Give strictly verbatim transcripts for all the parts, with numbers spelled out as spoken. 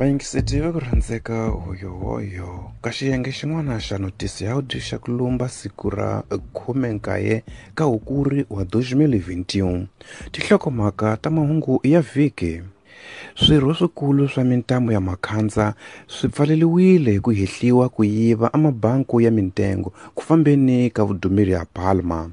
Vayingiseti va ku rhandzeka hoyohoyo ka xiyenge xin'wana xa notisi ya audio xa ku lumba siku ra khume nkaye ka Hukuri wa dois mil e vinte e um. Tinhlokomhaka ta mahungu ya vhiki. Swirho swikulu swa mintambo ya makhandza swi pfaleliwile hi ku hehliwa ku yiva amabanku ya mintengo ku fambeni ka vudumeri ya Palma.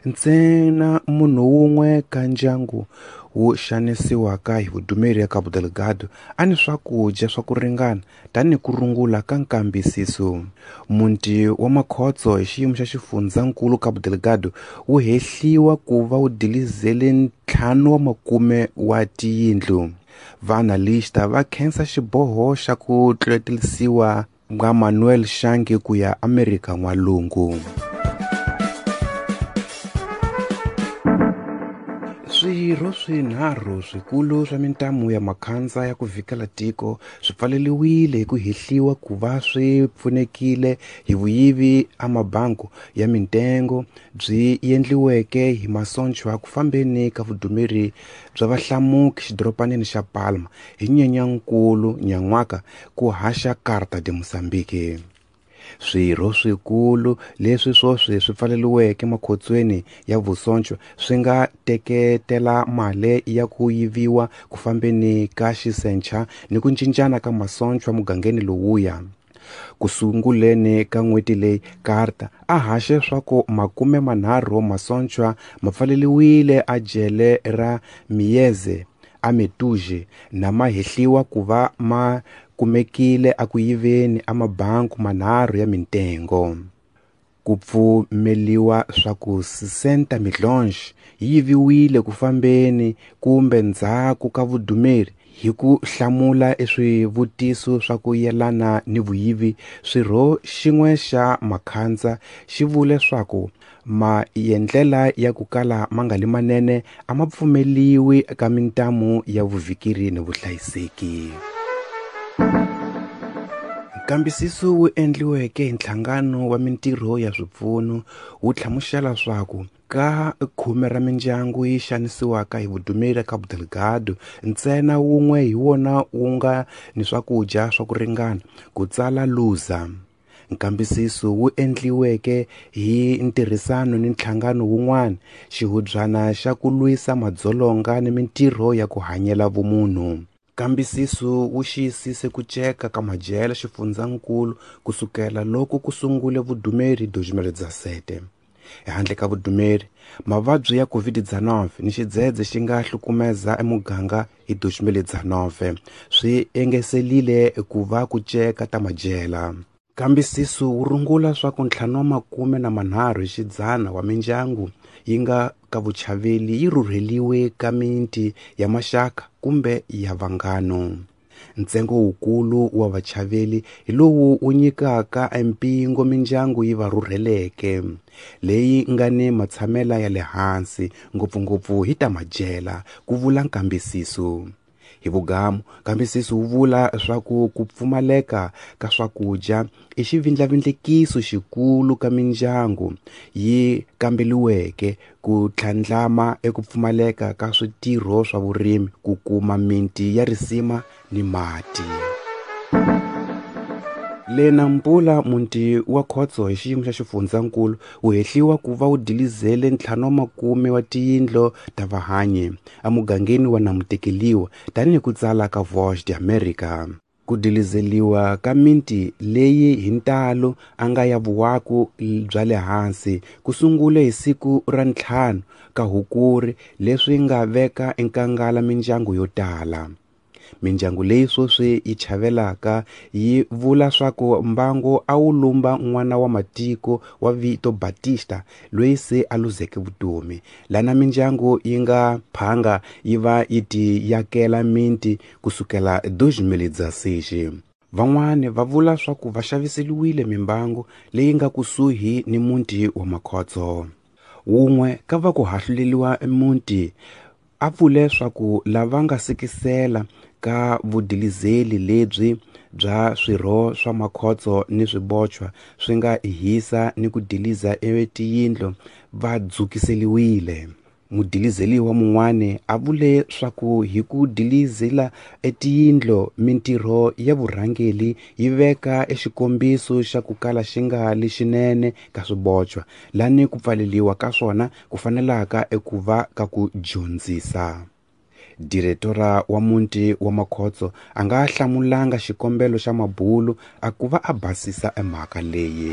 Ntsena munhu wun'we ka ndyangu wu xanisiwaka hi vudumeri ya Cabo Delgado a ni swakudya swa ku ringana tanihi ku rungula ka nkambisiso. Muti wa makhotso hi xiyimo xa xifundzankulu Cabo Delgado wu hehliwa ku va wu dilizele ntlhanu wa makume wa tiyindlu. Vaanalista va khensa xiboho xa ku tluletelisiwa ka Manuel Shange ku ya Amerika N'walungu. Swirho swinharhu swikulu swa mintamu ya makhandza ya ku vhikela tiko swi pfaleliwile hi ku hehliwa ku va swi pfunekile hi vuyivi amabanku ya mintengo byi endliweke hi masonchwa ku fambeni ka vudumeri bya vahlamuki xidoropanini xa Palma hi Nyenyankulu nyan'waka ku haxa Carta de Moçambique. Swirho swikulu leswi swoswi swi pfaleliweke makhotsweni ya vusonchwa swi nga teketela mali ya ku yiviwa ku fambeni ka xisencha ni ku cincana ka masonchwa mugangeni lowuya. Ku sunguleni ka n'hweti leyi Carta a haxe swa ku makume manharhu masonchwa ma pfaleliwile a jele ra Mieze a Metuje na ma hehliwa ku va ma kumekile a ku yiveni amabanku manharhu ya mintengo. Ku pfumeliwa swa ku sessenta milhões yi yiviwile ku fambeni kumbe ndzhaku ka vudumeri hi ku hlamula eswivutiso swa ku yelana ni vuyivi. Swirho xin'we xa makhandza xi vule swa ku maendlela ya ku kala ma nga li manene a ma pfumeliwi ka mintamu ya vuvhikeri ni vuhlayiseki. Nkambisiso wu endliweke hi nhlangano wa mintirho ya swipfuno wu hlamusela swa ku ka khume ra mindyangu yi xanisiwaka hi vudumeri ya Cabo Delgado ntsena wun'we hi wona wu nga ni swakudya swa ku ringana, ku tsala Luza. Nkambisiso wu endliweke hi ntirhisano ni nhlangano wun'wana, xihubyana xa ku lwisa madzolonga ni mintirho ya ku hanyela vumunhu. Nkambisiso wu xiyisise ku ceka ka majele xifundzankulu kusukela loko ku sungule vudumeri dois mil e dezessete. Ehandle ka vudumeri, mavabyi ya COVID dezenove ni xidzedze xi nga hlukumeza emuganga hi dois mil e dezenove swi engeselile ku va ku ceka ta majela. Nkambisiso wu rungula swa ku ntlhanu wa makume na manharhu hi xidzana wa mindyangu yi nga ka vuchaveli yi rhurheliwe ka miti ya maxaka kumbe ya vanghano. Ntsengo wukulu wa vachaveli hi lowu wu nyikaka empingo mindyangu yi va rhurheleke leyi nga ni matshamela ya le hansi ngopfungopfu hi ta majela, ku vula nkambisiso. Hi vugamu, nkambisiso wu vula swa ku ku pfumaleka ka swakudya i xivindlavindlekiso xikulu ka mindyangu yi kambeliweke ku tlhandlama eku pfumaleka ka switirho swa vurimi ku kuma miti ya risima ni mati. Le Nampula, muti wa khotso hi xiyimo xa xifundzankulu wu hehliwa ku va wu dilizele ntlhanu wa makume wa tiyindlu ta vahanyi emugangeni wa Namutekeliwa tanihi ku tsala ka Voz de América. Ku dilizeliwa ka miti leyi hi ntalo a nga ya vuwaku bya le hansi ku sungule hi siku ra ntlhanu ka Hukuri leswi nga veka enkangala mindyangu yo tala. Mindyangu leyi swoswi yi chavelaka yi vula swa ku mbango a wu lumba n'wana wa matiko wa vito Batista loyi se a luzeke vutomi. Lana mindyangu yi nga phanga yi va yi ti yakela miti kusukela dois mil e dezesseis. Van'wani va vula swa ku va xaviseliwile mimbangu leyi nga kusuhi ni muti wa makhotso. Wun'we ka va ku hahluleliwa muti a vule swa ku lava nga sekisela ka vudilizeli lebyi bya swirho swa makhotso ni swibochwa swi nga hisa ni ku diliza etiyindlu va dzukiseliwile. Mudilizeliwa mun'wani a vule swaku hi ku dilizela etiyindlo mintirho ya vurhangeli yi veka exikombiso xa ku kala xi nga lexinene ka swibochwa lani ku pfaleliwa ka swona ku fanelaka eku va ka ku dyondzisa. Diretora wa muti wa Makhotso a nga hlamulanga xikombelo xa mabulu a ku va a basisa emhaka leyi.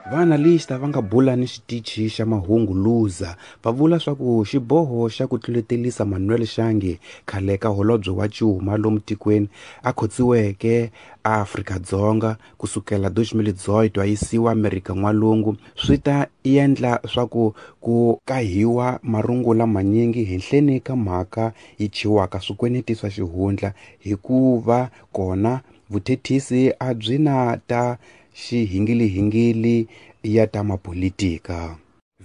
Vaanalista va nga bula ni xitichi xa mahungu Luza va vula swaku xiboho xa ku tluletelisa Manuel Shange khale ka holobye wa cuma lomu tikweni a khotsiweke a Afrika-Dzonga kusukela dois mil e dezoito a yisiwa Amerika N'walungu swi ta endla swaku ku kahiwa marungula manyingi henhleni ka mhaka yi chiwaka swikweneti swa xihundla hikuva kona vuthethisi a byi na ta xihingilihingili ya ta mapolitika.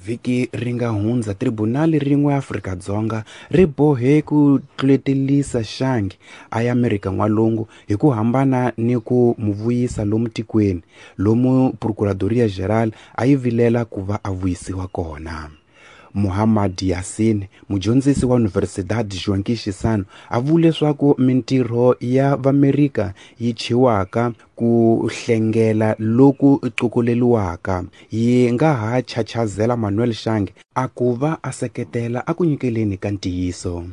Vhiki ri nga hundza tribunali rin'we Afrika-Dzonga ri bohe ku tluletelisa Shange a ya Amerika N'walungu hi ku hambana ni ku mu vuyisa lomu tikweni lomu Procuradoria Geral a yi vilela ku va a vuyisiwa kona. Muhammad Yassin, mudyondzisi wa Universidade Joaquim Chissano, a vule leswaku mintirho ya Vamerika yi chiwaka ku hlengela loku cukuleliwaka yi nga ha chachazela Manuel Shange a ku va a seketela a ku nyikeleni ka ntiyiso.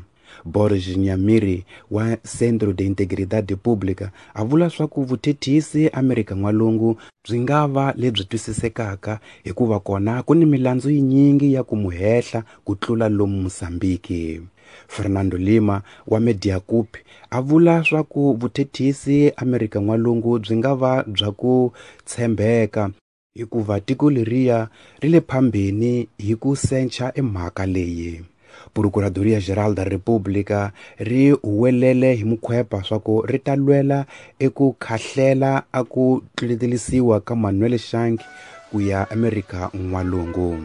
Borges Nyamiri wa Centro de Integridade Pública a vula swaku vuthethisi Amerika N'walungu byi nga va lebyi twisisekaka hikuva kona ku ni milandzu yinyingi ya ku mu hehla ku tlula lomu Mozambique. Fernando Lima wa Mediacup a vula swaku vuthethisi Amerika N'walungu byi nga va bya ku tshembeka hikuva tiko leriya ri le phambeni hi ku sencha emhaka leyi. Procuradoria Geral da República ri huwelele hi mukhwepa swaku ri ta lwela eku khahlela a ku tluletelisiwa ka Manuel Shange ku ya Amerika N'walungu.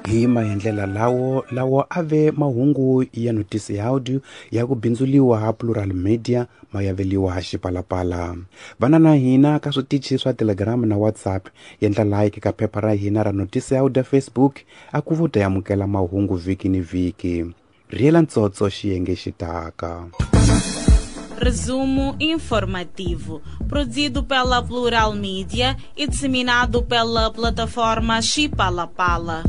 Hi maendlela lawo lawo a ve mahungu ya notisi ya audio ya ku bindzuliwa ha Plural Media mayaveliwa ha Xipalapala. Vana na hina ka switichi swa Telegram na WhatsApp, endla like ka phepha ra hina ra notisi ya audio Facebook a ku vuta yamukela mahungu vhiki ni vhiki. Riela ntsotso xiyenge xitaka. Resumo informativo, produzido pela Plural Media e disseminado pela plataforma Xipalapala.